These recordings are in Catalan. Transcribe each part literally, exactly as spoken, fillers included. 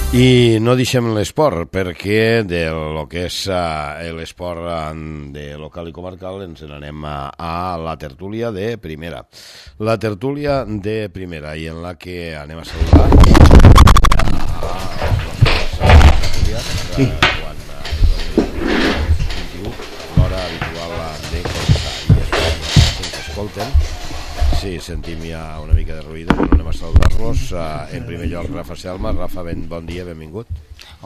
I no deixem l'esport, perquè de lo que és l'esport de local i comarcal ens n'anem a, a la tertúlia de primera. La tertúlia de primera, i en la que anem a saludar a la tertúlia sí. Quan l'hora habitual de començar i ens escolten. Sí, sentim ja una mica de ruïdo, però anem a saludar-los. En primer lloc, Rafa Selma. Rafa, ben, bon dia, benvingut.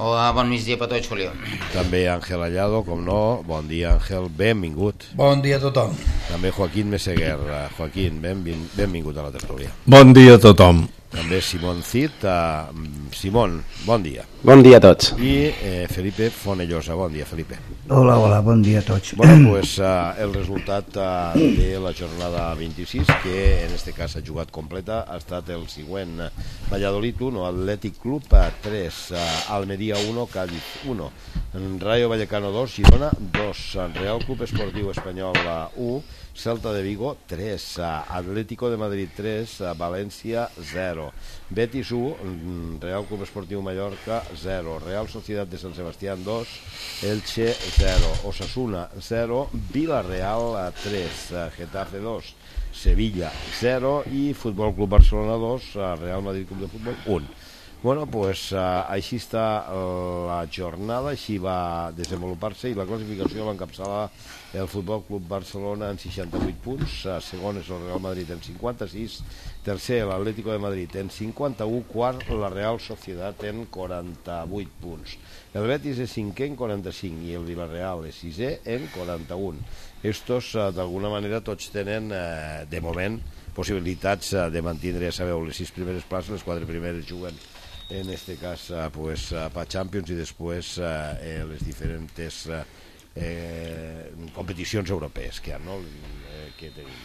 Hola, bon migdia per tots, Julio. També Àngel Allado, com no. Bon dia, Àngel, benvingut. Bon dia a tothom. També Joaquín Meseguer. Joaquín, benvin, benvingut a la tertúlia. Bon dia a tothom. També Simón Cid. Uh, Simón, bon dia. Bon dia a tots. I eh, Felipe Fonellosa. Bon dia, Felipe. Hola, hola, bon dia a tots. Bueno, pues uh, el resultat uh, de la jornada vint-i-sis, que en este cas ha jugat completa, ha estat el següent. Valladolid uno, Athletic Club tres, uh, Almería uno, Cádiz uno, Rayo Vallecano dos, Girona dos, Real Club Esportiu Espanyol u, Celta de Vigo tres, Atlético de Madrid tres, València zero, Betis u, Real Club Esportiu Mallorca zero, Real Sociedad de San Sebastián dos, Elche zero, Osasuna zero, Villarreal tres, Getafe dos, Sevilla zero i Futbol Club Barcelona dos, Real Madrid Club de Futbol un. Bueno, pues uh, així està uh, la jornada, així va desenvolupar-se, i la classificació l'encapçala el Futbol Club Barcelona en seixanta-vuit punts, uh, segon és el Real Madrid en cinquanta-sis, tercer l'Atlético de Madrid en cinquanta-u, quart la Real Sociedad en quaranta-vuit punts. El Betis és cinquè en quaranta-cinc i el Villarreal és sisè en quaranta-un. Estos, uh, d'alguna manera, tots tenen, uh, de moment, possibilitats uh, de mantindre, ja sabeu, les sis primeres places, les quatre primeres juguen en este cas uh, pues, uh, para Champions i després uh, eh, les diferents uh, eh, competicions europees que hi ha, no? eh, que tenim.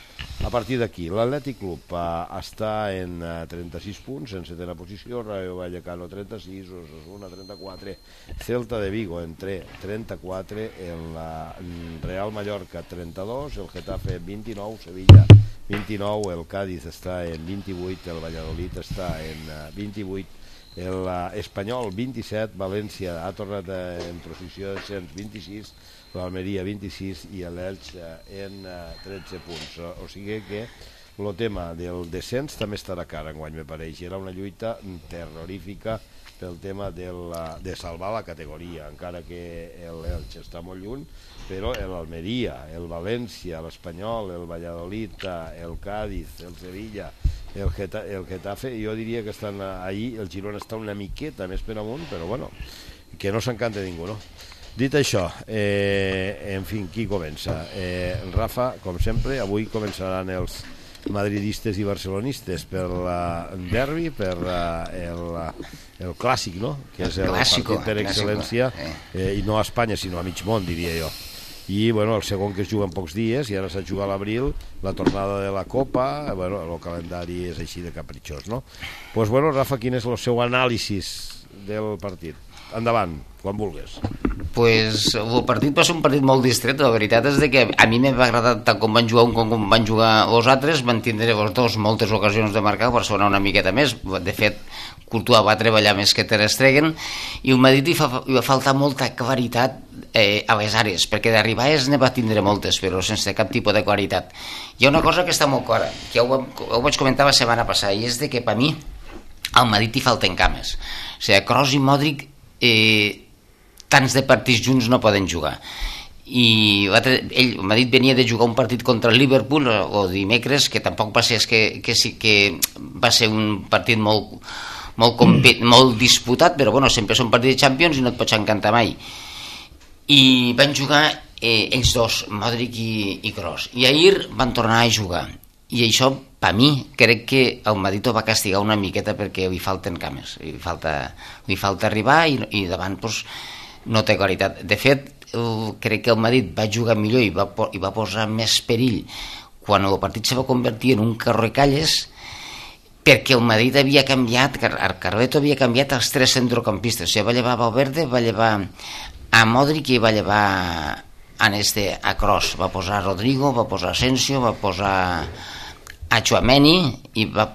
A partir d'aquí, l'Atlètic Club uh, està en uh, trenta-sis punts, en setena posició, Rayo Vallecano trenta-sis, Osasuna trenta-quatre, Celta de Vigo en trenta-quatre, el uh, Real Mallorca trenta-dos, el Getafe vint-i-nou, Sevilla vint-i-nou, el Cádiz està en vint-i-vuit, el Valladolid està en uh, vint-i-vuit, el uh, Espanyol vint-i-set, València ha tornat uh, en posició de cent vint-i-sis, l'Almeria vint-i-sis i l'Elx uh, en uh, tretze punts. O, o sigui que el tema del descens també estarà car enguany, me pareix. Era una lluita terrorífica pel tema del, uh, de salvar la categoria, encara que l'Elx està molt lluny, però l'Almeria, el València, l'Espanyol, el Valladolid, el Cádiz, el Sevilla, el, Geta, el Getafe, jo diria que estan ahí, el Girona està una miqueta més per amunt, però bueno, que no s'encanta ningú, no? Dit això, eh, en fi, qui comença? Eh, Rafa, com sempre, avui començaran els madridistes i barcelonistes per el derbi, per el, el clàssic, no? Que és el clàssico, partit per excel·lència, eh, i no a Espanya, sinó a mig món, diria jo. I bueno, el segon que es juga en pocs dies, i ara s'ha jugat a l'abril, la tornada de la Copa, bueno, el calendari és així de capritxós, no? Doncs pues, bueno, Rafa, quin és el seu anàlisi del partit? Endavant, quan vulguis. Pues el partit va ser un partit molt distret. La veritat és que a mi m'ha agradat tant com van jugar un com com van jugar els altres. Van tindre els dos moltes ocasions de marcar, Barcelona una miqueta més. De fet, Courtois va treballar més que Ter Stegen, i el Madrid hi, fa, hi va faltar molta claritat eh, a les àrees, perquè d'arribades ne va tindre moltes, però sense cap tipus de claritat. Hi ha una cosa que està molt clara, que ja ho, ho vaig comentar la setmana passada, i és de que per mi al Madrid hi falten cames. O sigui, Kroos i Modric eh, tants de partits junts no poden jugar, i ell, el Madrid venia de jugar un partit contra el Liverpool o dimecres, que tampoc va ser, que, que, sí, que va ser un partit molt, molt, compet, molt disputat, però bueno, sempre és un partit de Champions i no et pots encantar mai, i van jugar eh, ells dos, Modric i, i Kroos, i ahir van tornar a jugar, i això per mi crec que el Madrid ho va castigar una miqueta, perquè li falten cames, li falta, li falta arribar, i, i davant pues, no té claritat. De fet, el, crec que el Madrid va jugar millor i va, i va posar més perill quan el partit se va convertir en un carrocalles, perquè el Madrid havia canviat, el Carleto havia canviat els tres centrocampistes. O sigui, va llevar Valverde, va llevar a Modric i va llevar a, este, a Kroos. Va posar a Rodrigo, va posar a Asensio, va posar a Tchouaméni i va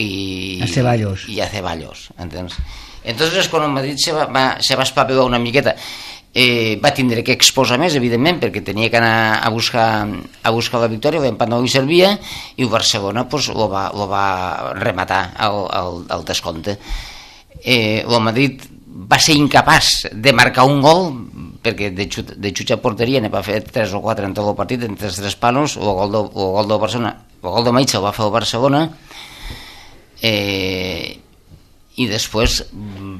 i, a Ceballos. I a Ceballos, entens? Entonces, quan el Madrid se va, va, se va espavilar una miqueta, eh, va tindre que exposar més, evidentment, perquè tenia que anar a buscar, a buscar la victòria, l'empat no li servia, i el Barcelona pues, lo, va, lo va rematar al, al, al descompte. Eh, el Madrid va ser incapaç de marcar un gol, perquè de, xut, de xutxa porteria ne va fer tres o quatre en tot el partit, entre els tres palos, el gol, de, el gol del Barcelona, el gol de Maitza el va fer el Barcelona, eh, i després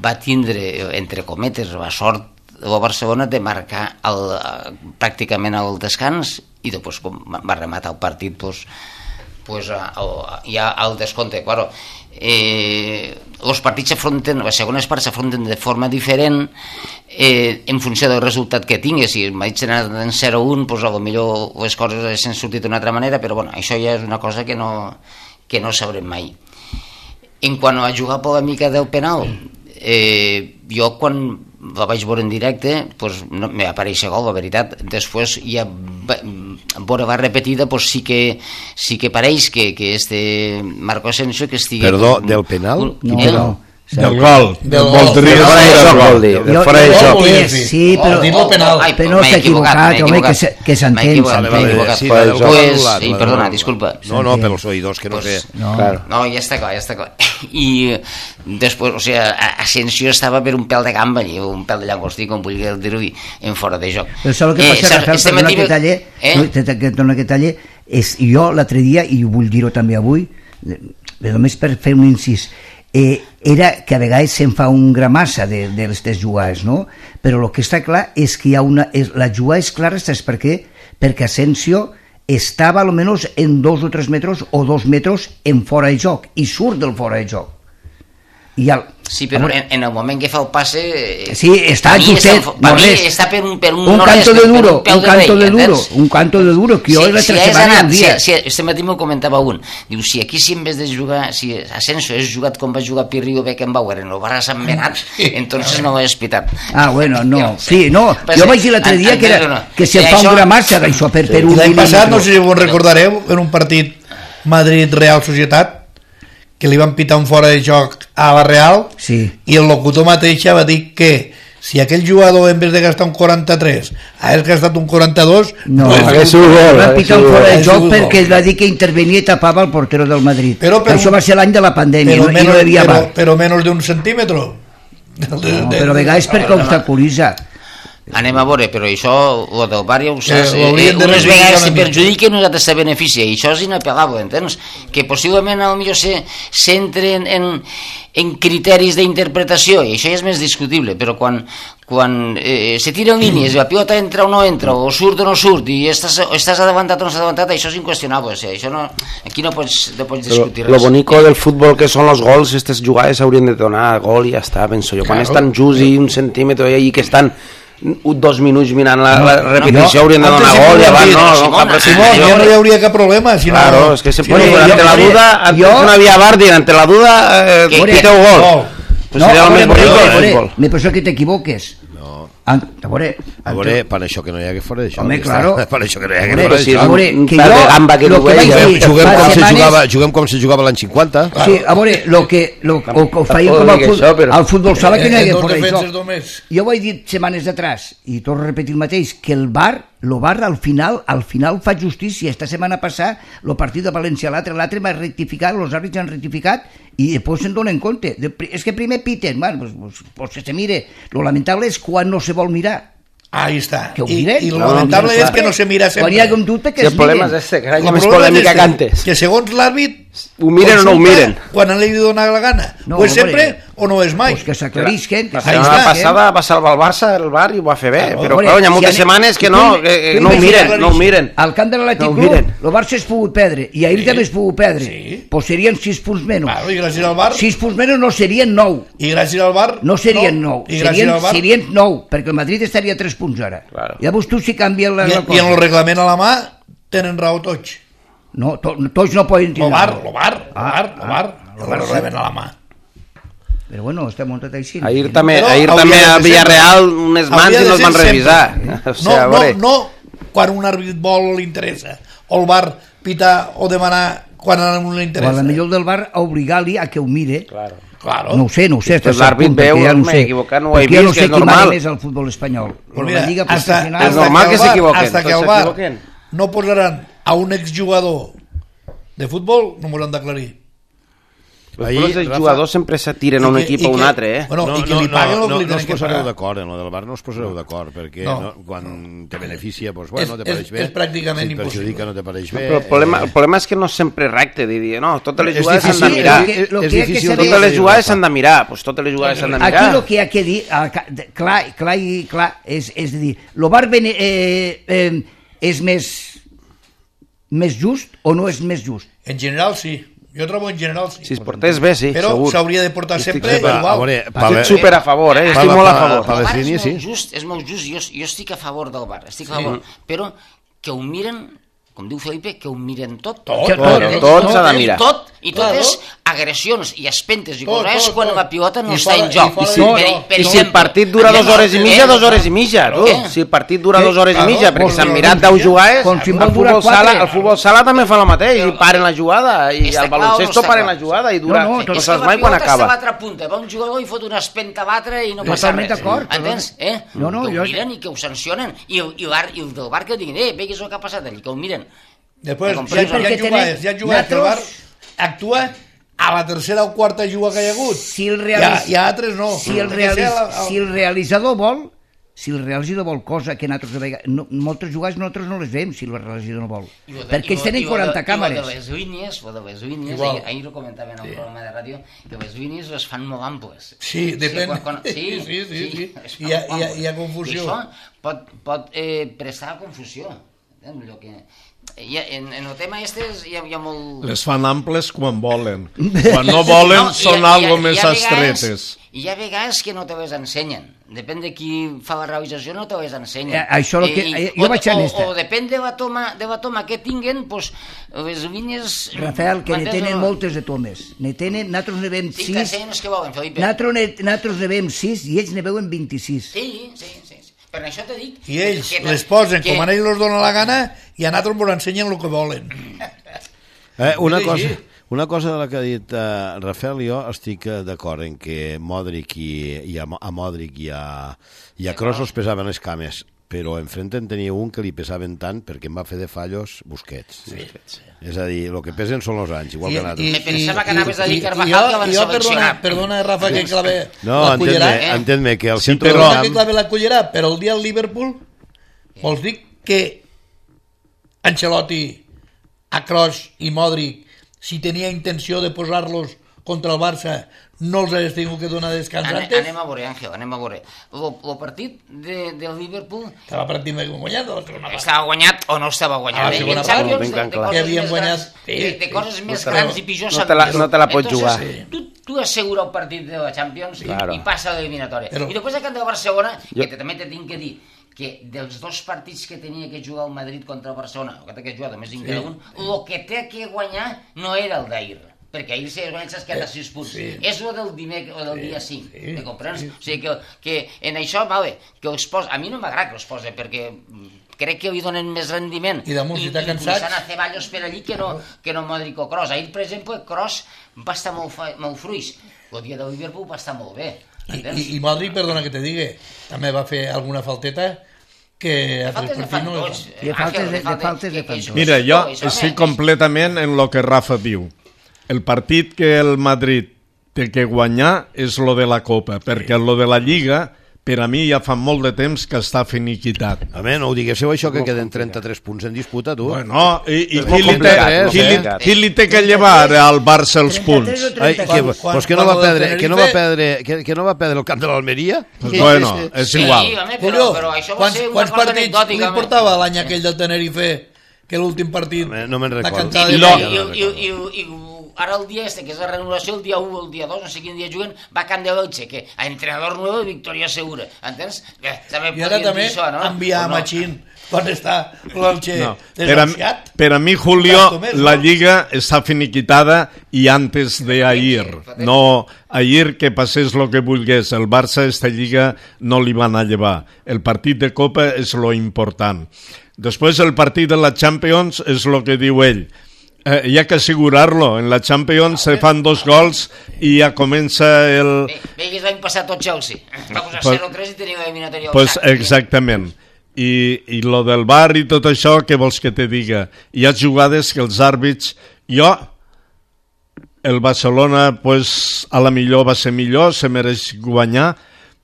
va tindre, entre cometes, la sort el Barcelona de marcar el, pràcticament al descans, i després com va rematar el partit pues, pues, el, ja al descompte. Claro, eh, els partits s'afronten, les segones parts s'afronten de forma diferent eh, en funció del resultat que tingués. Si el Madrid s'ha anat en zero a un, pues, potser les coses s'han sortit d'una altra manera, però bueno, això ja és una cosa que no, que no sabrem mai. En quant a jugar polèmica del penal, eh, jo quan la vaig veure en directe pues, no, me va aparèixer gol, la veritat. Després ja veure la repetida pues, sí, que, sí que pareix que, que este Marco Asensio que estigui... Perdó, del penal? No, no. Del gol, del gol, del fora de joc. Sí, però no s'ha equivocat, home, que s'entén. Sí, perdona, disculpa. No, no, per els oïdors, que no sé. No, ja està clar, ja està clar. I després, o sigui, Asensio estava per un pèl de gamba, un pèl de llangostí, com vull dir-ho, en fora de joc. Però saps el que passa, Rafael, perdona que talle, perdona que talle, és jo l'altre dia, i vull dir-ho també avui, només per fer un incís, Eh, era que a vegades se'n fa un gramassa de, de les tres jugades, no? Però el que està clar és que hi ha una... És, la jugada és clara, saps per què? Perquè Asensio estava almenys en dos o tres metres o dos metres en fora de joc i surt del fora de joc. I el, sí, però en, en el moment que fa el passe sí, està justet, està, no res, està per un, per un, un no canto res, de duro, un, un canto de duro, un canto de duro que jo si, la si tercera setmana un dia. Si, si, este matí m'ho comentava un, diu, si aquí si en vez de jugar, si Asensio és jugat com va jugar Pirri o Beckenbauer en el Barça Sant Benat, entonces no ho he espitat. Ah, bueno, no, sí, no, jo vaig dir l'altre dia que, era, que se fa un gramassa d'això per, per un mil·límetre. L'any passat, no sé si ho recordareu, en un partit Madrid-Real Societat, que li van pitar un fora de joc a la Real, sí. I el locutor mateix va dir que si aquell jugador en vez de gastar un quaranta-tres hagués gastat un quaranta-dos, no, no hagués sigut gol. Van pitar un fora de joc perquè va dir que intervenia i tapava el portero del Madrid. Però, però, això va ser l'any de la pandèmia, però, no, menos, i no hi havia però, bar. Però menys d'un centímetre. No, però a vegades perquè obstaculitza. Anem a veure, però això, el del bar ja ho saps, eh, eh, unes vegades se perjudica i nosaltres se beneficia, i això és inapel·lable, entens? Que possiblement potser se centren en, en criteris d'interpretació, i això ja és més discutible, però quan, quan eh, se tiren línies, la pilota entra o no entra, o surt o no surt, i estàs, estàs adelantat o no estàs adelantat, això és inqüestionable, o sigui, això no, aquí no pots, no pots discutir res. Lo bonico del futbol que són els gols, aquestes jugades haurien de donar gol i ja està, penso jo, quan estan just i un centímetre i que estan dos minuts mirant la, la repetició, no, haurien de donar gol i abans no, no, cap Simón, ja no hi hauria cap problema si claro, no, es que se si pone no, ante la duda, antes jo, no havia bar dir, ante la duda eh, piteu gol no, pues no, seria el més bonic del futbol. Me penso que t'equivoques. A veure, a veure, per això que no hi ha que fora d'això. Home, claro. Per això que no hi ha que fora d'això. A veure, que jo, gamba que lo que vaig dir, juguem com se jugava, juguem com se jugava l'any cinquanta. Sí, a veure, lo que lo que feien com al futbol sala que no hi ha que fora d'això. Jo vaig dir setmanes atrás, i torno a repetir el mateix, que el bar, el bar al final, al final fa justícia. Esta setmana passada, el partit de València, l'altre, l'altre va rectificar, els àrbits han rectificat, i després se'n donen compte. És que primer piten, bueno, pues, pues, pues se mire. Lo lamentable és quan no se vol mirar. Ahí està. Que ho miren. I, i lo no, lamentable no, és que no se mira sempre. Quan hi ha un dubte que si es el problema miren. és este, que hi ha més polèmica que antes. Que segons l'àrbit ho miren o no ho miren. Quan li dona la gana. No, o és sempre o no és mai. Pues que s'aclarisquen. La setmana passada va salvar el Barça, el Bar, i ho va fer bé. Claro, però clar, hi ha moltes si setmanes que no, que, que no ho miren, no ho miren. Al camp de l'Atlètic Club, el Barça es pogut perdre, i ahir sí. també es pogut perdre. Sí. Pues serien sis punts menys. Claro, i gràcies al Bar. sis punts menys no serien nou. I gràcies al Bar. No serien nou. Serien, serien nou, perquè el Madrid estaria a tres punts ara. Claro. Llavors tu si canvia la, la cosa. I en el reglament a la mà tenen raó tots. No, to, tots no poden tirar. Lo bar, lo bar, lo bar, lo bar, el reglament a la mà. Però bueno, està muntat així. Ahir també, ahir també a Villarreal unes mans i no es van revisar. O sea, no, no, no quan un àrbit vol o li interessa, o el bar pitar o demanar quan a un li interessa. O a la millor del bar obligar-li a que ho mire. Claro. Claro. No ho sé, no ho sé. L'àrbit veu, ja no m'he equivocat, no ho he vist, que és normal. Jo no sé qui mana més al futbol espanyol. Pues mira, la Lliga hasta, Professional... hasta és normal que s'equivoquen. Hasta que al bar no posaran a un exjugador de futbol, no m'ho han d'aclarir. Ahir, els jugadors sempre s'atiren a un equip o a un altre, eh? Bueno, no, i que no, li paguen no, el que no, li no tenen us que posareu pagar. d'acord, en lo del bar no us posareu d'acord, perquè no. No, quan te beneficia, doncs, bueno, És- te pareix és- bé. és pràcticament si et perjudica, impossible. no te pareix bé. Però el problema, eh, el problema és que no sempre és recte, de dir, no, totes les És jugades s'han de difícil, mirar. Lo que- lo és que hay que difícil. saber- Totes les jugades s'han de mirar, doncs totes les jugades s'han de mirar. Aquí el que hi ha que dir, eh, ca- de- clar, clar i clar, és, és a dir, el bar bene, eh, eh, és més, més just o no és més just? En general, sí. Jo trobo en general, sí. Si es portés bé, sí, Però segur. s'hauria de portar Estic sempre super- igual. a veure, Estic super a favor, eh? Estic Pa- molt a pa- favor. pa- El bar és línies, molt sí. just, és molt just, jo, jo estic a favor del bar, estic a favor, però que ho miren, com diu Felipe, que ho miren tot. Tot, tot, tot, tot s'ha de mirar. Tot, i tot Claro. és agressions i espentes i Tot, coses tot, quan tot. la pilota no I està fora- en joc. i fora si, de per, joc. per I si el exemple, partit dura anem dues hores i a- mitja, eh, dues hores i mitja, tu. Eh? Si el partit dura dues hores i Claro, mitja, perquè vols s'han dir mirat una deu mitja? jugades, Com si el vol durar futbol sala, quatre. el futbol sala també fa el mateix, i paren la jugada, i Està el clar o baloncesto no està paren clar? la jugada, i dura, No, no, no, tot- És saps que la mai quan pilota està a acaba. l'altra punta, va un jugador i fot una espenta a l'altre i no passa Totalment res. d'acord, Entens? Eh? No, no, que ho jo- miren i que ho sancionen. I, el, i, l'ar- i el del bar que diguin, eh, vegues el que ha passat allí, que ho miren. Després, Com hi ha, hi perquè ha jugades, hi ha jugades que el bar nosaltres- actua a la tercera o quarta juga que hi ha hagut. Si el, Hi ha, realis... hi ha altres no. si, el Té que realis... ser la- el- si el realitzador vol, si el realitzador vol cosa que nosaltres de vegades, no, moltes jugades nosaltres no les veiem si el realitzador no vol, I lo de- perquè i ells lo- tenen i lo quaranta de- càmeres. I lo de les línies, lo de les línies, Igual. ahir, ahir ho comentaven en un programa de ràdio, que les línies les fan molt amples. Sí, depèn. quan- quan- sí, Sí, sí, sí, sí. es Hi ha- fan hi ha- molt hi ha amples. confusió. I això pot, pot eh, prestar a confusió. Entens? Allò que... Hi ha, en, en el tema este hi ha, hi ha molt... Les fan amples quan volen. Quan no volen No, són hi ha- algo hi ha- més hi ha vegades- estretes. Hi ha vegades que no te les ensenyen. Depèn de qui fa la realització, no te les ensenyen. Eh, això lo que- eh, jo o, vaig en o, esta. o depèn de la toma, de la toma que tinguen, pues, les línies... Rafael, que ne m'entens o tenen no? moltes de tomes. Ne tenen, nosaltres ne veiem Sí, sis, t'ensenyen els que volen, Felipe. nosaltres ne, nosaltres ne veiem sis i ells ne veuen vint-i-sis. Sí, sí, sí. sí. Per això t'he dit... I ells que- les posen que- com a ells els donen la gana i a nosaltres ens ensenyen el que volen. Eh, una, Sí, cosa, sí. una cosa de la que ha dit uh, Rafael, jo estic eh, d'acord en que Modric i, i a, Mo- a Modric i a, i a Kroos els pesaven les cames, però enfrente en tenia un que li pesaven tant perquè em va fer de fallos Busquets. Sí. És a dir, el que pesen són els anys, igual que nosaltres. Me pensava que anaves a dir i- Carvajal, i jo- que van i jo, perdona, seleccionar. perdona, Rafa, que clave No, la entén-me, cullerà. entén-me que el Sí, centre però- del Perdona que camp... clave la cullerà, però el dia al Liverpool vols dir que Ancelotti, a Kroos i Modric, si tenia intenció de posar-los contra el Barça, no els hagués tingut que donar descans Ane, antes? anem a veure, Àngel, anem a veure. El partit de, del Liverpool Estava pràcticament guanyat a la segona part. estava guanyat o no estava guanyat. A la Eh? segona En part, Champions, ben de, de clar. coses Que havien més guanyat, grans, sí, de, de coses sí, més però grans i pitjors no te la- s'han no te la pots Entonces, jugar. Tu, tu assegura el partit de la Champions Claro. i passa a l'eliminatòria. Però- I després de Camp de Barcelona, Jo- que també te tinc que dir que dels dos partits que tenia que jugar el Madrid contra el Barcelona, o que té que jugar només cinc cada un, el que té que guanyar no era el d'ahir, perquè ahir s'ha guanyat s'ha quedat a sis punts. Sí. És el del, dimec o del dia cinc, sí, me comprens? sí. O sigui que, que en això, vale, que els posa, a mi no m'agrada que els posa, perquè crec que li donen més rendiment. I damunt, si està cansat- Inclús a Ceballos per allí que no, que no Modric o Kroos. Ahir, per exemple, Kroos va estar molt, fa- molt fruix. El dia de Liverpool va estar molt bé. I, entens? i, i Modric, perdona que te digui, també va fer alguna falteta que a Faltes tres de fan partits no li tots. fan. De faltes Àngel, de- de faltes- faltes de que- fan que- tots. Mira, jo això, això, estic eh? completament en lo que Rafa diu. El partit que el Madrid té que guanyar és lo de la Copa, perquè lo de la Lliga, per a mi ja fa molt de temps que està finiquitat. Home, no ho diguéssiu això, que queden trenta-tres punts en disputa, tu. Bueno, i, i És qui, molt li té, complicat, qui, no li, sé. qui li té que llevar al Barça els punts? trenta-tres o Ai, trenta-cinc. que, Quan- pues que, quan no va lo del perdre, que, no va perdre, que, que no va perdre el camp de l'Almeria? Pues bueno, és Sí, igual. home, però, Julio, però això va quants, ser una quants cosa partits anecdòtica. li home. portava l'any aquell del Tenerife, que l'últim partit Home, no me'n la recordo. cantada I, de No. i, Liga. i, i, i, i, ara el dia este, que és la renovació, el dia u, el dia dos, no sé quin dia juguen, va a Can de Elche, que a entrenador nuevo i victòria segura. Entens? Bé, també I ara podien també dir això, no? enviar O a no? Machín quan està l'Elche No. Per, a, desafiat. per a mi, Julio, Gasto més, la no? Lliga està finiquitada i antes de ayer. No, ayer que passés lo que volgués. El Barça esta Lliga no li van a llevar. El partit de Copa és lo important. Després el partit de la Champions és lo que diu ell. Eh, hi ha que assegurar-lo. En la Champions se fan dos gols i ja comença el... Bé, bé que l'any passat tot Chelsea. Va posar Pues- zero tres i teniu eliminatòria. Pues exactament. I, I lo del bar i tot això, què vols que te diga? Hi ha jugades que els àrbits... Jo, el Barcelona, pues, a la millor va ser millor, se mereix guanyar,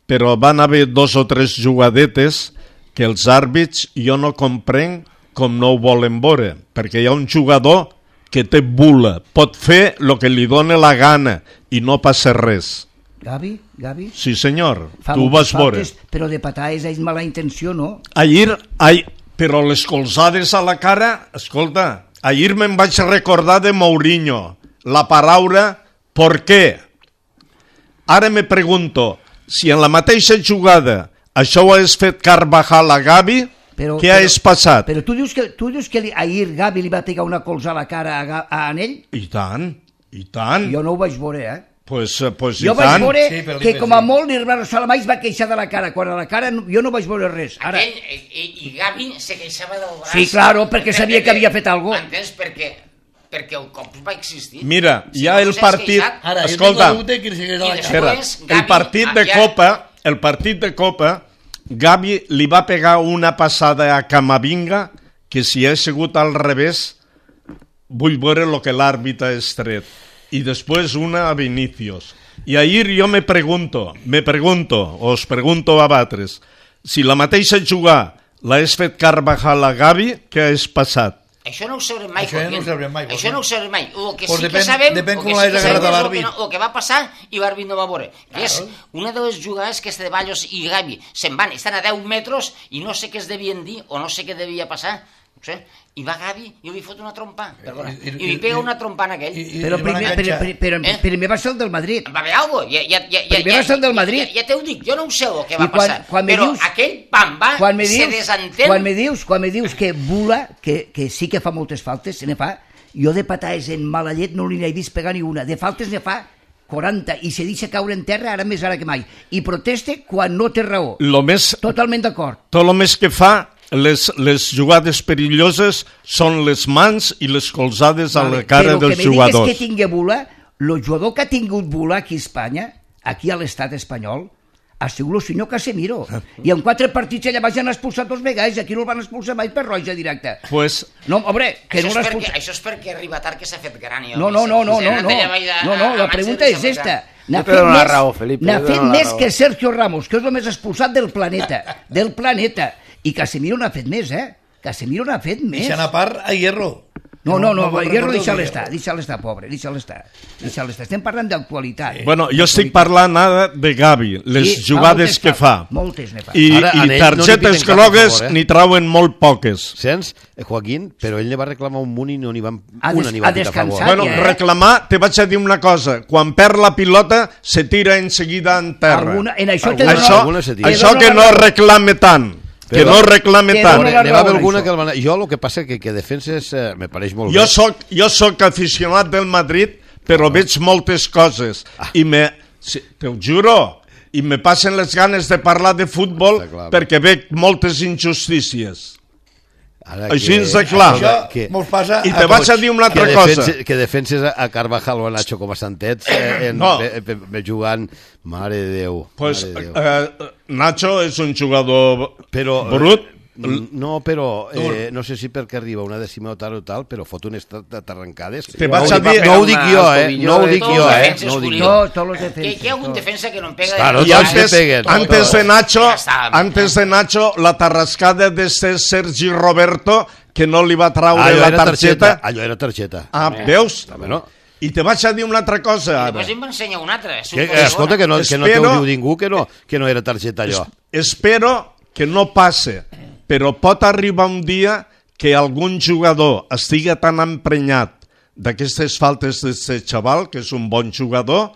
però van haver dos o tres jugadetes que els àrbits jo no comprenc com no ho volen veure, perquè hi ha un jugador que té bula, pot fer el que li dona la gana i no passa res. Gavi, Gavi? Sí, senyor, Fa tu ho vas moltes veure. faltes, però de patar és mala intenció, no? Ahir, ai, però les colzades a la cara, escolta, ahir me'n vaig recordar de Mourinho, la paraula ¿por qué? Ara me pregunto, si en la mateixa jugada això ho has fet Carvajal a Gavi, Però, què però, has passat? Però tu dius que, tu dius que li, ahir Gavi li va pegar una colza a la cara a, Ga- a Anell? I tant, i tant. Jo no ho vaig veure, eh? Pues, eh, pues i Jo vaig tant. veure Sí, però que li- com a sí. molt l'Irván Salamà es va queixar de la cara, quan a la cara no- jo no vaig veure res. Ara, Aquell, i, i Gavi se queixava del braç. Sí, claro, perquè sabia que havia fet algo. Entens? Perquè, perquè el cop va existir. Mira, Si ja no el s'has partit... queixat, Ara, jo tinc Escolta, la dubte que li segueix a la I cara. després- espera, el Gavi, partit de ja- Copa, el partit de Copa, Gavi li va pegar una passada a Camavinga que si ha sigut al revés, vull veure el que l'àrbitre ha estret. I després una a Vinicius. I ahir jo me pregunto, me pregunto, os pregunto a vosaltres, si la mateixa jugada l'has fet Carvajal a Gavi, què has passat? Això no ho sabrem mai. Això ja no Joaquín. ho sabrem mai, Això Joaquín. no ho sabrem mai. El que Pues sí depèn- que sabem, depèn el com que sí l'hagis que sabem agarrat a és el l'àrbit. que, no, el que va passar i l'àrbit no va veure. Que és una de les jugades que Ceballos i Gavi se'n van, estan a deu metres i no sé què es devien dir o no sé què devia passar. No sé. I va Gavi i li fot una trompa, perdona, I- i- i li pega i- una trompa en aquell. i- i- Però li van primer, però, enganxar. però, però, Eh? primer va ser el del Madrid. Va haver alguna cosa. Ja, ja, ja, ja, Primer va ser el del Madrid. Ja, ja te ho dic, jo no ho sé el que va I quan- passar. quan me però dius- aquell pam va, Quan me se dius, desentén. quan me dius, quan me dius que Bula, que, que sí que fa moltes faltes, se ne fa, jo de patades en mala llet no li n'he vist pegar ni una. De faltes ne fa quaranta i se deixa caure en terra ara més ara que mai. I proteste quan no té raó. Lo més, Totalment d'acord. tot el més que fa, les, les jugades perilloses són les mans i les colzades a la cara Però dels que me jugadors. digues que tingui Bula, el jugador que ha tingut Bula aquí a Espanya, aquí a l'estat espanyol, ha sigut el senyor Casemiro. I en quatre partits ella vaig anar expulsat dos vegades i aquí no el van expulsar mai per roja directa. Pues, No, home, que Això no és, l'ha perquè, expulsat. això és perquè arriba tard que s'ha fet gran. Jo, No, no, no, no, no, no, no, no, la pregunta és esta. N'ha Jo te fet dono la més, raó, Felipe, n'ha jo te fet dono la més raó. que Sergio Ramos, que és el més expulsat del planeta, del planeta. I Casemiro n'ha fet més, eh? Casemiro n'ha fet més. Deixant a part a Hierro. No, no, no, me'n Hierro recordo deixa-lo de estar, deixa-lo estar, pobre, deixa-lo estar. Deixa-lo estar. Estem parlant d'actualitat. bueno, jo estic parlant ara de Gavi, les Sí, fa jugades moltes que fa- fa. moltes ne fa. I, Ara, a i ell no li targetes piten cap, grogues per favor, eh? n'hi trauen molt poques. Sents, eh, Joaquín? Però ell ne va reclamar un munt i no n'hi van... Ha una des- n'hi va ha pitar a favor. descansat. Bueno, ja, eh? reclamar, te vaig a dir una cosa, quan perd la pilota se tira en seguida en terra. Alguna, en això te Això, dono- alguna se tira. te això dono que la no raó. reclame tant, que Però- no reclame Te tant. dono la N'hi va haver raó en alguna això. que... El van... Jo el que passa que, que defenses eh, me pareix molt Jo bé. soc, jo soc aficionat del Madrid, però veig moltes coses i me, si, te ho juro, i me passen les ganes de parlar de futbol Està clar. perquè veig moltes injustícies. Ara Així és de clar. Això que- mos passa I a te vaig tots. a dir una que altra cosa. defenses, que defenses a Carvajal o a Nacho com a santets eh, en, No. be, be, be jugant, mare de Déu, Pues, mare de Déu. eh, Nacho és un jugador Però, brut. no, però eh, no sé si perquè arriba una dècima o tal o tal, però fot un estat d'arrencades. Te no, vaig ho a dic- dir- no ho dic jo, Una eh? tobillo No ho de dic Todos jo, los eh? defenses, No ho dic Julio. jo. No, todos los Que, defenses. que hi ha algun todos. defensa que no em pega... Claro, de... I tots antes, se peguen. antes de Nacho, Ja està. antes de Nacho, la tarrascada de este Sergi Roberto, que no li va traure Allò la era targeta. targeta. Allò era targeta. Ah, veus? Bueno, I te vaig a dir una altra cosa, ara. Després em va ensenyar una altra. És que, un poc escolta, que no, que no te Espero- ho diu ningú, que no, que no era targeta allò. Espero que no passe, però pot arribar un dia que algun jugador estigui tan emprenyat d'aquestes faltes d'aquest xaval, que és un bon jugador,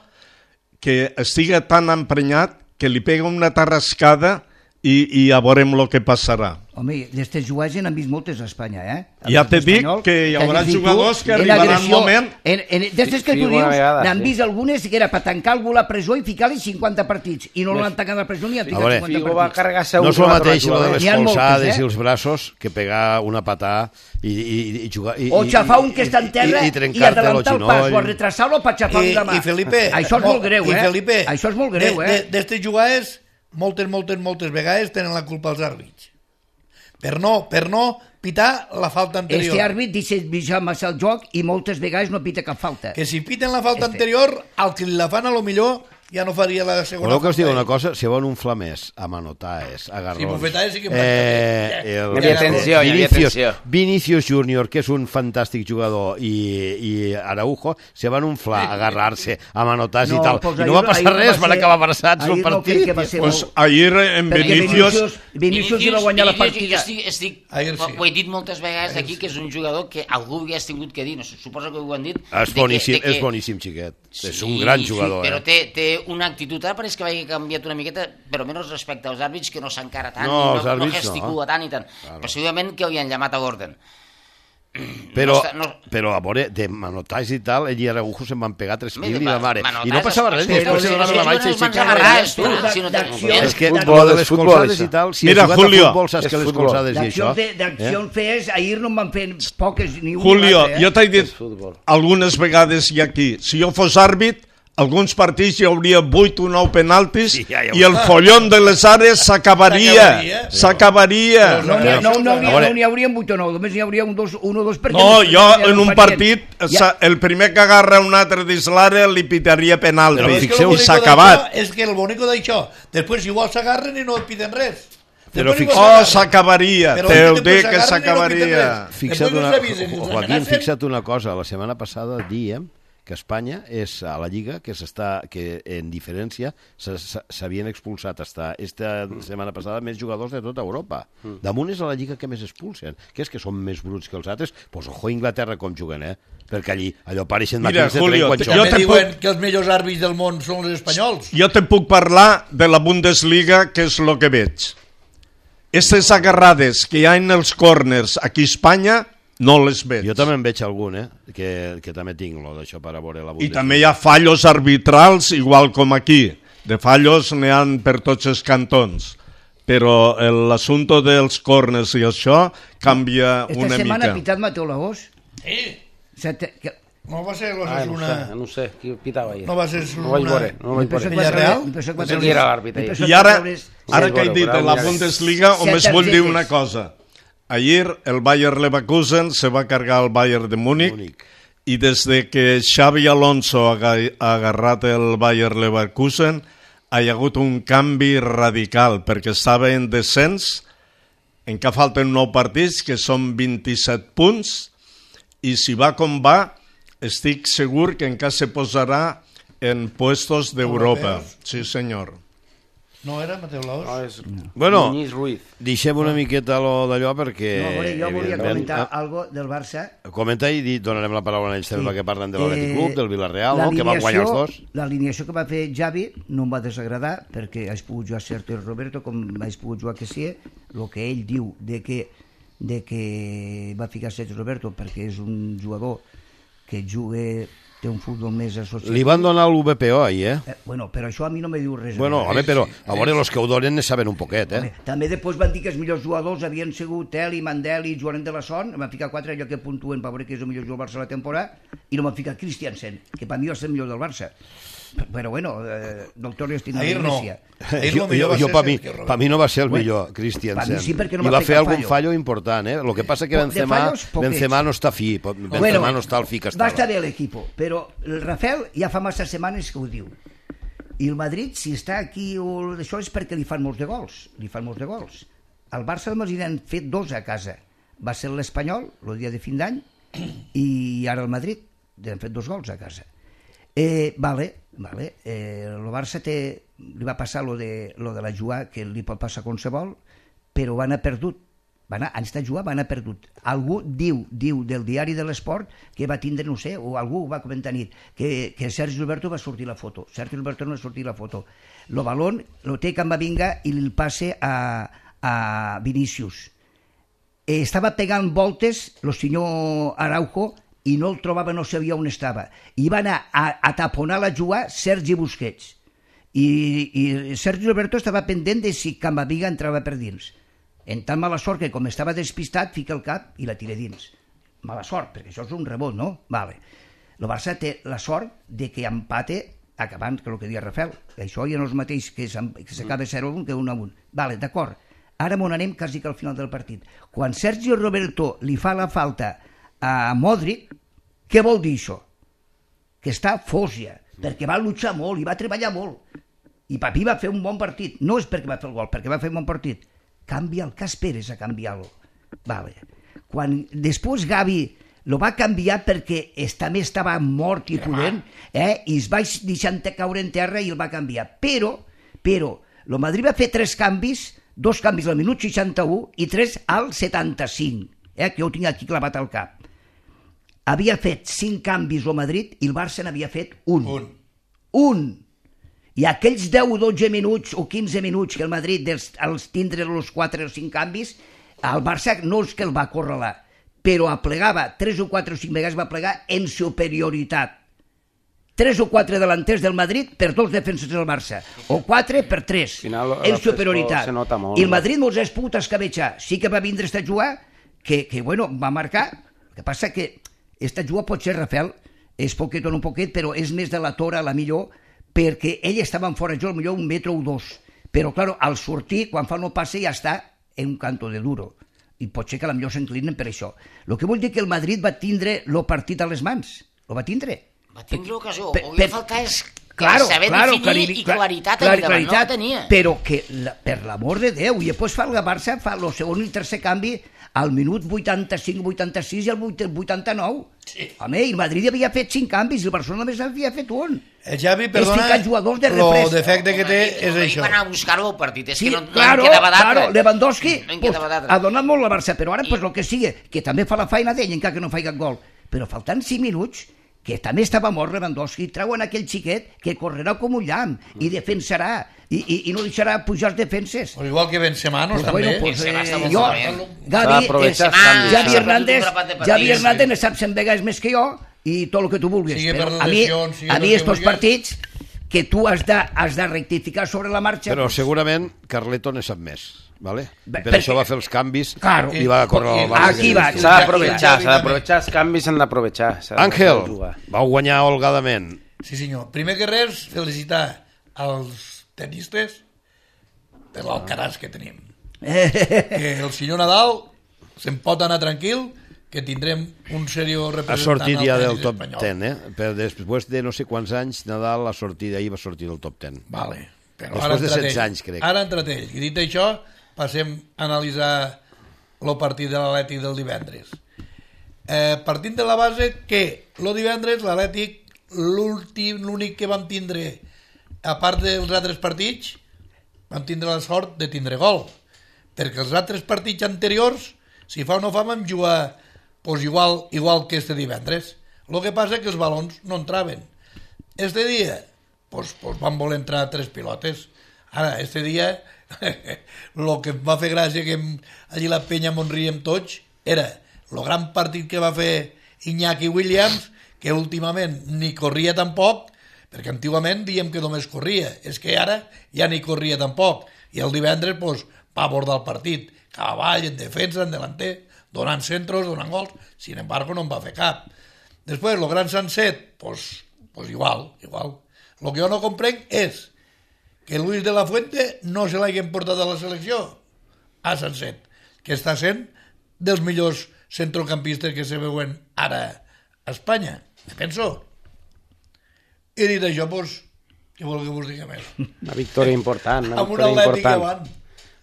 que estigui tan emprenyat que li pega una tarrascada i, i ja veurem el que passarà. Home, d'aquestes jugades n'han vist moltes a Espanya, eh? Ja te dic que hi haurà jugadors que arribaran un moment... D'aquestes que tu dius, n'han vist algunes que era per tancar algú a la presó i ficar-li cinquanta partits, i no l'han tancat a la presó ni han ficat cinquanta partits. No és el mateix lo de les colzades i els braços que pegar una patà i jugar... O xafar un que està en terra i adelantar el pas, o retrasar-lo per xafar-li la mà. I Felipe... Això és molt greu, eh? Això és molt greu, eh? D'aquestes jugades, moltes, moltes, moltes vegades tenen la culpa els àrbits. Per no, per no pitar la falta anterior. Este àrbit deixa massa el joc i moltes vegades no pita cap falta. Que si piten la falta este. anterior, al que la fan a lo millor ja no faria la segona. Voleu que us digui una cosa? Si van un flamès a manotaes, a garrons... Si bufetaes sí que... Eh, el, hi havia atenció, hi havia atenció. Vinicius Júnior, que és un fantàstic jugador, i, i Araujo, se van un fla a agarrar-se a manotaes no, i tal. Pues I no va passar res, van acabar abraçats el partit. No pues ahir en Vinicius... Vinicius hi va guanyar la partida. Estic, estic, ho he dit moltes vegades aquí, que és un jugador que algú hagués tingut que dir, no suposo que ho han dit. És boníssim, és boníssim, xiquet. És un gran jugador. Però té una actitud, ara pareix que hagi canviat una miqueta, però menys respecte als àrbits, que no s'encara tant, no, no, no gesticula no. tant i tant. Claro. Possiblement que havien llamat a Gordon. Però, no està, no... però a veure, de manotaix i tal, ell i Araujo se'n van pegar tres mil i la mare. I no passava res, després se donaven la baixa i s'aixecaven. És que lo de les colzades i tal, si has jugat a futbol saps que les colzades i això... D'accions fees, ahir no en van fer poques ni una. Julio, jo t'he dit algunes vegades i aquí, si jo fos àrbit, alguns partits hi hauria vuit o nou penaltis sí, ja, ja i el follon de les àrees s'acabaria. S'acabaria. No n'hi no, no, no, no, hauria vuit o nou, només n'hi hauria un, dos, un o dos partits. No, jo en un partit, ja. el primer que agarra un altre dins l'àrea li pitaria penalti. I s'ha acabat. És que el bonico d'això, després igual s'agarren i no piten res. Però oh, s'acabaria, teu dic que s'acabaria. Fixa't una, Joaquín, fixa't una cosa, la setmana passada diem que Espanya és a la Lliga que s'està que en diferència s'havien expulsat hasta esta setmana passada més jugadors de tota Europa. Mm. Damunt és a la Lliga que més expulsen. Que és que són més bruts que els altres? Doncs pues, ojo Inglaterra com juguen, eh? Perquè allí allò pareixen màquines de tren quan juguen. També diuen puc... que els millors àrbits del món són els espanyols. Jo te puc parlar de la Bundesliga, que és el que veig. Aquestes agarrades que hi ha en els corners aquí a Espanya no les veig. Jo també en veig algun, eh? Que, que també tinc lo d'això per a veure la Bundesliga. I també hi ha fallos arbitrals, igual com aquí. De fallos n'hi ha per tots els cantons. Però l'assumpte dels corners i això canvia Esta una mica. Esta setmana ha pitat Mateu Lagós? Sí. Sete, que... No va ser l'Osasuna... Ah, no, no sé, qui pitava ahir. No va ser no vaig veure, no vaig veure. Villarreal? No sé qui era l'àrbitre. I ara, ara que he dit de la Bundesliga, només vull dir una cosa. Ayer el Bayer Leverkusen se va cargar el Bayern de Múnich i des de que Xavi Alonso ha agarrat el Bayer Leverkusen ha hi ha hagut un canvi radical perquè estava en descens, encara falten nou partits que són vint-i-set punts i si va com va estic segur que encara se posarà en puestos d'Europa. Sí senyor. No era Mateu Laos? No, és bueno, Muñiz Ruiz. Deixem una miqueta lo d'allò perquè... No, veure, jo volia comentar ah, algo del Barça. Comenta i di, donarem la paraula a ells sí. perquè parlen de l'Atlètic Club, del Villarreal, no? Que van guanyar els dos. L'alineació que va fer Xavi no em va desagradar perquè haig pogut jugar Sergio Roberto com haig pogut jugar que sí, el que ell diu de que, de que va ficar Sergio Roberto perquè és un jugador que juga... té un futbol més associat. Li van donar l'U B P O ahir, eh? eh? Bueno, però això a mi no me diu res. Bueno, home, però a veure, els que ho donen ne saben un poquet, eh? Home, també després van dir que els millors jugadors havien sigut Teli, Mandel i Joan de la Son, em van ficar quatre allò que puntuen per veure que és el millor jugador del Barça de la temporada, i no m'han ficat Christiansen, que per mi és el millor del Barça. Però bueno, eh, doctor Estina ahir no. Ahir jo, jo, jo per mi, pa mi no va ser el millor, Christiansen. Sí, no i va fer algun fallo important, eh? Lo que passa que Benzema, Benzema no està fi, Benzema bueno, no està al fi que estava. Va estar bé l'equip, però el Rafael ja fa massa setmanes que ho diu. I el Madrid, si està aquí o això és perquè li fan molts de gols, li fan molts de gols. Al Barça només hi han fet dos a casa. Va ser l'Espanyol, el dia de fin d'any, i ara el Madrid, han fet dos gols a casa. Eh, vale, vale. Eh, el Barça té, li va passar lo de, lo de la jugada, que li pot passar qualsevol, però van a perdut Va anar, han estat jugant, va anar perdut. Algú diu, diu del diari de l'Esport que va tindre, no sé, o algú va comentar nit, que, que Sergi Roberto va sortir la foto. Sergi Roberto no va sortir la foto. Lo balón lo té Camavinga i el passe a, a Vinícius. Eh, estava pegant voltes el senyor Araujo i no el trobava, no sabia on estava. I va anar a, a taponar la jugada Sergi Busquets. I, i Sergi Roberto estava pendent de si Camavinga entrava per dins. En tan mala sort que com estava despistat fica el cap i la tira dins. Mala sort, perquè això és un rebot, no? Vale. El Barça té la sort de que empate acabant, que el que deia Rafael, que això ja no és mateix que s'acaba zero a un que un a un. Vale, d'acord. Ara m'on anem quasi que al final del partit. Quan Sergio Roberto li fa la falta a Modric, què vol dir això? Que està fòsia, perquè va luchar molt i va treballar molt. I Papi va fer un bon partit. No és perquè va fer el gol, perquè va fer un bon partit. Canvia el Cas Pérez a canviar-lo. Vale. Quan després Gavi lo va canviar perquè també estava mort i pudent, eh? I es va deixar caure en terra i el va canviar. Però, però, el Madrid va fer tres canvis, dos canvis al minut seixanta-u i tres al setanta-cinc, eh? Que jo ho tinc aquí clavat al cap. Havia fet cinc canvis el Madrid i el Barça n'havia fet un. Un. Un. I aquells deu o dotze minuts o quinze minuts que el Madrid dels, els tindre els quatre o cinc canvis, el Barça no és que el va acorralar, però aplegava tres o quatre o cinc vegades, va plegar en superioritat. Tres o quatre delanters del Madrid per dos defenses del Barça, o quatre per tres, final, en superioritat. Molt, I el Madrid no els ha pogut escabetxar. Sí que va vindre esta jugada que, que bueno, va marcar. El que passa que esta jugada pot ser, Rafael, és poquet o no poquet, però és més de la tora, la millor, perquè ell estava en fora jo, potser un metre o dos. Però, clar, al sortir, quan fa el passe, ja està en un canto de duro. I pot ser que potser s'inclinen per això. El que vull dir que el Madrid va tindre el partit a les mans. Lo va tindre. Va tindre l'ocasió. El que falta és claro, saber claro, definir clari, i claritat clar, allà davant. No la tenia. Però que, la, per l'amor de Déu, i després fa el Barça, fa el segon i el tercer canvi al minut vuitanta-cinc vuitanta-sis i al vuitanta-nou. Sí. Home, el Madrid havia fet cinc canvis i el Barcelona només havia fet un. El Xavi, perdona, el defecte que té és això. Va anar a buscar-ho al partit, és sí, que no, claro, no en quedava d'altre. Claro, Lewandowski no pues, ha donat molt la Barça, però ara, pues, el que sigui, que també fa la feina d'ell, encara que no faci cap gol. Però faltant cinc minuts, que també estava mort Lewandowski, treuen aquell xiquet que correrà com un llamp i defensarà, i, i, i no deixarà pujar els defenses. Pues igual que Benzema, no? Pues també. Bueno, pues, Benzema està eh, molt jo, malament. Gavi, Benzema, Javi s'ha Hernández, perdut un grapat de Javi partits, Hernández sí. ne sap cent vegades més que jo i tot el que tu vulguis. Sigue Però per a mi, lesions, sigue a mi per estos vulguis. partits que tu has de, has de rectificar sobre la marxa... Però pues, segurament Carleto ne sap més. ¿Vale? Bé, Per perquè- això va fer els canvis Claro. i va córrer al Barça. Aquí va. S'ha d'aprovechar, s'ha d'aprovechar, els canvis s'han d'aprovechar. s'ha Àngel, de vau guanyar holgadament. Sí, senyor. Primer que res, felicitar als tenistes per l'Alcaraz que tenim. Que el senyor Nadal se'n pot anar tranquil, que tindrem un seriós Ha representant sortit ja al del tenis top espanyol. deu, eh? Per després de no sé quants anys, Nadal ha sortit d'ahir, va sortir del top deu. Vale. Però Després ara de entrat setze ell. anys, crec. Ara ha entrat ell. I dit això, passem a analitzar el partit de l'Atlètic del divendres. Eh, partint de la base que el divendres l'Atlètic, l'últim, l'únic que vam tindre, a part dels altres partits, vam tindre la sort de tindre gol. Perquè els altres partits anteriors, si fa o no fa, vam jugar pues, igual, igual que este divendres. El que passa és que els balons no entraven. Este dia, pues, pues van voler entrar tres pilotes. Ara, este dia, el que em va fer gràcia que em, allí la penya m'on riem tots era el gran partit que va fer Iñaki Williams, que últimament ni corria tampoc, perquè antigament diem que només corria, és que ara ja ni corria tampoc, i el divendres pues, va abordar el partit, cap avall, en defensa, en delanter, donant centros, donant gols, sin embargo no en va fer cap. Després, el gran Sanset, pues, pues igual, igual. Lo que jo no comprenc és que Luis de la Fuente no se l'hagin portat a la selecció a Sanset, que està sent dels millors centrocampistes que se veuen ara a Espanya, penso. I dit això, doncs, què vol que vos digui més? Una victòria important, una Amb un victòria Atlètic important. avant.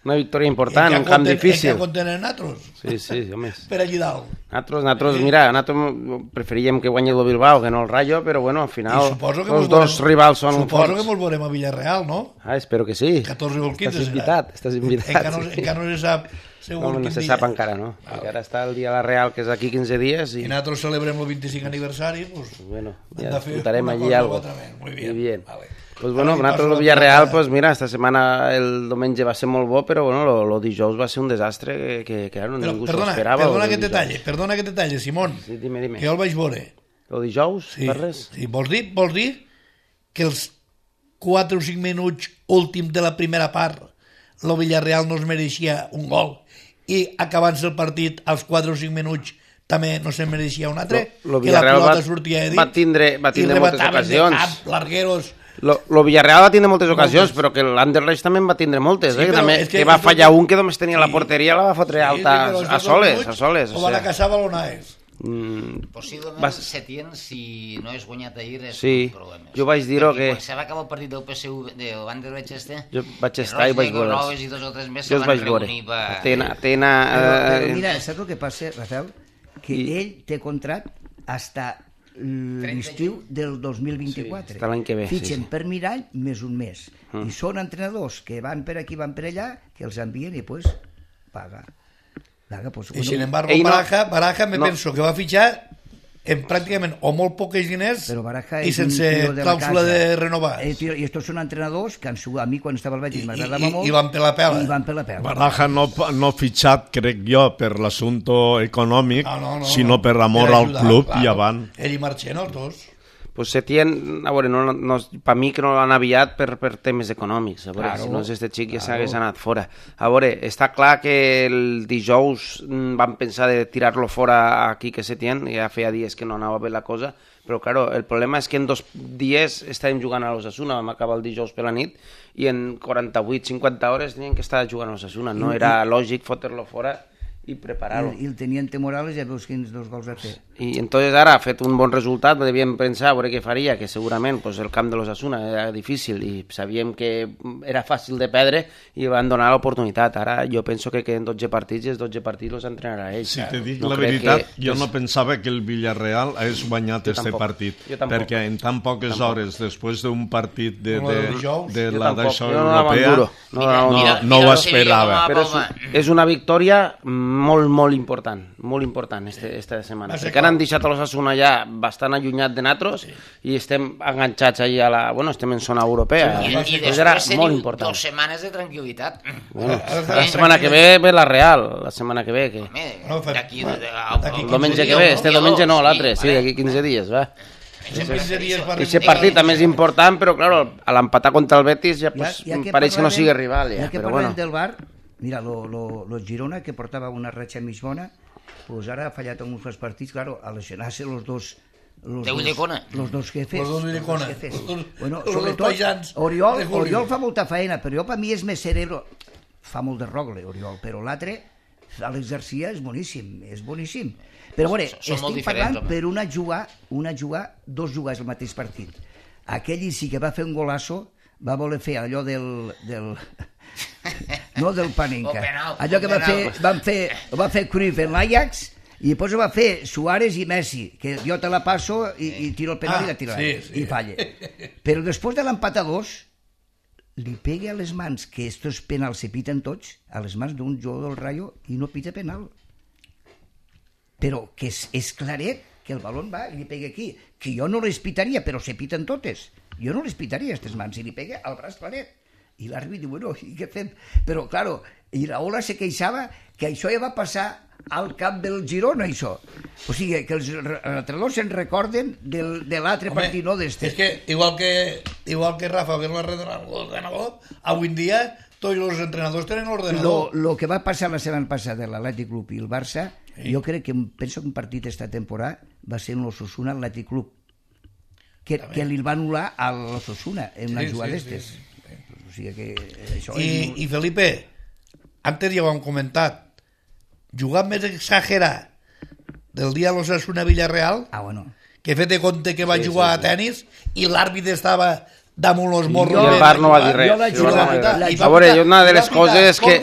Una victòria important, un camp difícil. En què contenen natros? Sí, sí, home. Per allí dalt. Natros, natros, mira, natros preferíem que guanyi el Bilbao que no el Rayo, però bueno, al final els dos rivals són forts. Suposo que mos veurem a Villarreal, no? Ah, espero que sí. catorze o el quinze. Estàs invitat, estàs invitat. Encara no se sap segur no, no se sap encara, no? Encara està el dia de la Real, que és aquí quinze dies. I nosaltres celebrem el vint-i-cinc aniversari, doncs bueno, ja disfrutarem allí algo. Muy bien. Muy bien. Vale. Pues bueno, nosaltres el Villarreal, pues mira, esta setmana el diumenge va ser molt bo, però bueno, lo, lo dijous va ser un desastre que, que, que claro, però, ningú perdona, s'esperava. Perdona que te talle, perdona que te talle, Simón, sí, dime, dime. que jo el vaig veure. Lo dijous, sí, parles? Sí, vols dir, vols dir que els quatre o cinc minuts últims de la primera part el Villarreal no es mereixia un gol i acabant-se el partit als quatre o cinc minuts també no se'n mereixia un altre, lo, lo que la pilota va, sortia de dit va tindre, va tindre moltes ocasions. Cap, largueros. Lo, lo Villarreal va tindre moltes ocasions, moltes. Però que l'Anderlecht també en va tindre moltes, sí, eh? També, que, que va fallar un que només tenia sí. la porteria, la va fotre sí, alta sí, a soles, a soles. O van a caçar balonades. Mm, possiblement vas... Setién, si no és guanyat ahir, és sí, un problema. Jo vaig dir-ho que... Quan se va acabar el partit del P S U, de l'Anderlecht este, jo vaig estar i vaig veure. I dos o tres més se van reunir per... Atena, Atena... Però, però mira, saps el que passa, Rafael? Que I... ell té contract hasta l'estiu del dos mil vint-i-quatre. Sí, l'any que ve. Fitxen sí, sí. per mirall més un mes. Mm. I són entrenadors que van per aquí, van per allà, que els envien i pues paga. paga pues, I bueno, sin embargo, Baraja, no, Baraja me no. penso que va fitxar en pràcticament o molt poques diners i sense clàusula de renovar. Eh, tio, I estos són entrenadors que han sigut, a mi quan estava al Betis m'agradava molt. I van per la pela. I van per la pela. Baraja no, no fitxat, crec jo, per l'assumpte econòmic, no, no, no, sinó per amor per al ajudar, club claro. I avant. Ell i Marchena, els dos. Pues Setién, a veure, no, no, per mi que no l'han aviat per, per temes econòmics, a veure, claro, si no és este xic ja claro. s'hagués anat fora. A veure, està clar que el dijous van pensar de tirar-lo fora aquí que Setién, ja feia dies que no anava bé la cosa, però claro, el problema és que en dos dies estàvem jugant a l'Osasuna, vam acabar el dijous per la nit, i en quaranta-vuit cinquanta hores tenien que estar jugant a l'Osasuna, no era lògic fotre-lo fora i preparar-lo. I el Teniente Morales ja veus quins dos gols ha fet. I entonces ara ha fet un bon resultat, devíem pensar a veure què faria, que segurament pues, el camp de l'Osasuna era difícil i sabíem que era fàcil de perdre i van donar l'oportunitat. Ara jo penso que queden dotze partits i els dotze partits els entrenarà ell. Si te dic no la veritat, que... jo no pensava que el Villarreal hagués guanyat este tampoc. partit, perquè en tan poques tampoc. hores, després d'un partit de, de, de, de la d'això europea, no, no, no, no ho esperava. Però és, és una victòria molt, molt important, molt important este, esta setmana, perquè han deixat a l'Osasuna ja bastant allunyat de nosaltres sí. i estem enganxats allà a la... Bueno, estem en zona europea. Sí, I, i després teniu dos setmanes de tranquil·litat. Bueno, la setmana que ve ve la Real, la setmana que ve. Que... Home, d'aquí... El diumenge que ve, este diumenge no, l'altre, sí, d'aquí quinze dies, va. Aquest partit també és important, però claro, a l'empatar contra el Betis ja, pues, ja, ja pareix que no sigui rival. Ja, ja que però parlem bueno. del Bar, mira, lo, lo, lo Girona, que portava una ratxa mig bona, pues ara ha fallat en uns partits, claro, a lesionar-se los dos los de Ullecona. Los dos jefes. Los dos Ullecona. Bueno, sobretot, Oriol, Oriol fa molta feina, però jo per mi és més cerebro. Fa molt de rogle, Oriol, però l'altre, Àlex Garcia, és boníssim, és boníssim. Però, a veure, estic parlant per una jugar, una jugar, dos jugars al mateix partit. Aquell sí que va fer un golasso, va voler fer allò del... del no del Panenka, allò que va fer, van fer, va fer Cruyff en l'Ajax i després ho va fer Suárez i Messi, que jo te la passo i, i tiro el penal ah, i la tiro sí, sí. i falla. Però després de l'empat a dos li pega a les mans, que estos penals se piten tots, a les mans d'un jugador del Rayo i no pita penal. Però que és, és claret que el balón va i li pega aquí, que jo no les pitaria, però se piten totes. Jo no les pitaria, aquestes mans, i li pega al braç claret. I l'àrbit diu, bueno, i què fem? Però, claro, i la Ola se queixava que això ja va passar al camp del Girona, això. O sigui, que els entrenadors se'n recorden del, de l'altre partit, no d'este. És que, igual que, igual que Rafa ve l'ordenador, avui en dia tots els entrenadors tenen l'ordenador. Lo, lo que va passar la setmana passada l'Atlètic Club i el Barça, sí. jo crec que, penso que un partit esta temporada va ser en l'Osasuna Atlètic Club, que, que li va anul·lar a l'Osasuna en una sí, jugada sí, d'estes. Sí, sí. O sigui que això I, és... I Felipe, antes ja ho hem comentat, jugar més exagerat del dia a l'Osasuna Villarreal, ah, bueno. que fet de compte que va sí, jugar sí, a tenis i l'àrbit estava damunt els morros. I el bar no va dir res. A veure, una de les coses que...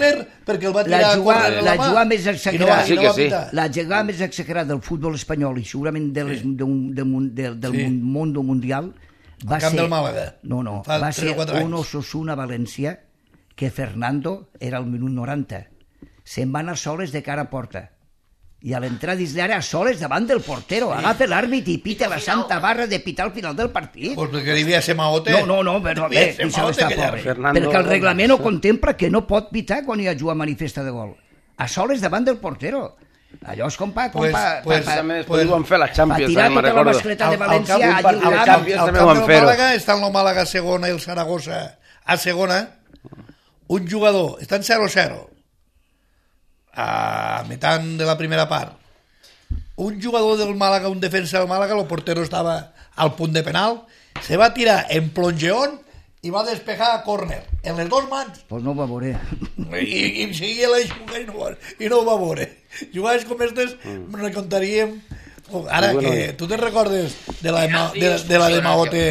Perquè el va tirar la jugada, a la jugada més exagerada, sí que sí. la jugada més exagerada del futbol espanyol i segurament de les, de un, de, de, del sí. món mundial va el camp ser, del Màlaga. No, no, Fa va ser un un Osasuna València que Fernando era al minut noranta. Se'n va anar soles de cara a porta. I a l'entrada dins l'àrea a soles davant del portero. Agafa l'àrbit i pita la santa barra de pitar al final del partit. Pues perquè hi havia Semaote. No, no, no, però bé, deixa estar pobre. Perquè el reglament ho contempla que no pot pitar quan hi ha jugat manifesta de gol. A soles davant del portero. Allò és com pa... Com Pues, pa, pues, pa, també després ho van fer la Champions, tirar me'n tota la recordo. mascleta de València al, al, allí al, al camp, camp. al camp del Màlaga està el Màlaga a segona i el Saragossa a segona. Un jugador, està en zero a zero a mitad de la primera part. Un jugador del Màlaga, un defensa del Màlaga, el portero estava al punt de penal, se va tirar en plongeón i va despejar a córner, en les dues mans. Pues no ho va veure. I, i seguia la jugada i no, i no ho va veure. Jugades com aquestes mm. recontaríem. Ara, que tu te'n recordes de la de, de, de, la de Maote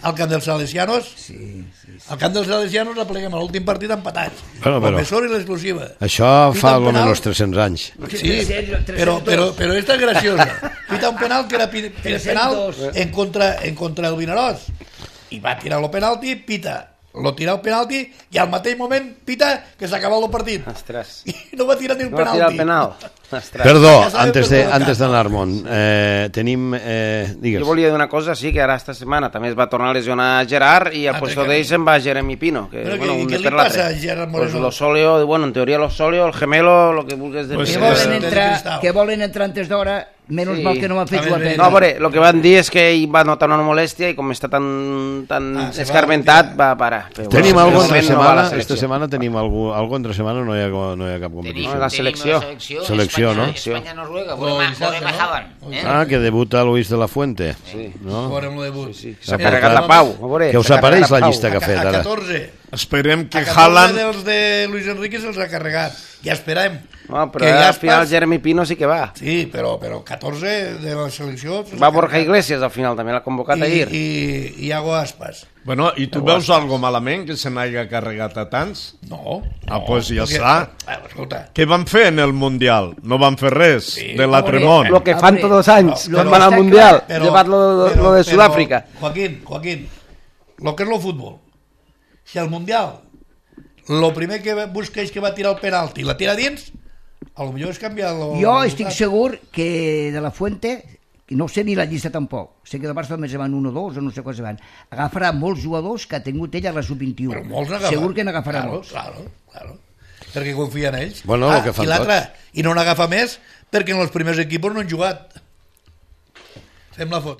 al camp dels Salesianos? Sí, sí, sí. Al camp dels Salesianos la pleguem a l'últim partit empatats. Bueno, però, Professor i l'exclusiva. Això fa algun menos tres-cents anys. Sí, però, però, però esta és graciosa. Pita un penal que era pi, pi, penal en contra, en contra del Vinaròs. I va tirar el penalti, pita lo tira el penalti i al mateix moment pita que s'ha acabat el partit. Ostres. I no va tirar ni el no penalti. No va tirar el penal. Ostres. Perdó, antes de, antes d'anar-me'n, eh, tenim... Eh, digues. Jo volia dir una cosa, sí, que ara esta setmana també es va tornar a lesionar Gerard i al ah, puesto d'ell se'n va Jeremy Pino. Que, Però bueno, que, què li passa a Gerard Moreno? Pues lo sóleo, bueno, en teoria lo sóleo, el gemelo, lo que vulguis dir. Pues que, sí, volen sí. entrar, que volen entrar antes d'hora, menys sí. mal que no m'ha fet jugar pena. No, però el que van dir és que ell va notar una molèstia i com està tan, tan ah, escarmentat va, va parar. Però, tenim bueno, algo entre no setmana, esta setmana tenim algo, algo entre setmana, no hi ha, no hi ha cap competició. No, la selecció. Selecció, no? Espanya-Noruega, veurem a Haaland. Ah, que debuta Luis de la Fuente. Sí, no? veurem el debut. Sí, sí. S'ha carregat la Pau. Què us apareix la llista que ha fet ara? A catorze. Esperem que Haaland... A Haaland... dels de Luis Enrique se'ls ha carregat. Ja esperem. No, però ja al final Jeremy Pino sí que va. Sí, però, però catorze de la selecció... Va Borja Iglesias al final, també l'ha convocat I, ahir. I Iago Aspas. Bueno, i tu veus algo malament que se n'hagi carregat a tants? No. Ah, doncs pues ja perquè, està. Ah, escolta. Què van fer en el Mundial? No van fer res sí, de l'altre món. Lo que fan tots els anys, no, van al Mundial, llevat lo, però, lo de Sud-àfrica. Joaquín, Joaquín, lo que és el futbol. Si al Mundial lo primer que busca és que va tirar el penalti i la tira dins, a lo millor és canviar lo, jo estic segur que de la Fuente, no sé ni la llista tampoc, sé que de Barça només van un o dos o no sé quants van, agafarà molts jugadors que ha tingut ell a la sub vint-i-u. Segur que n'agafarà claro, molts. Claro, claro. Perquè confia en ells. Bueno, ah, que fan i l'altre, tots. i no n'agafa més perquè en els primers equips no han jugat. Fem la foto.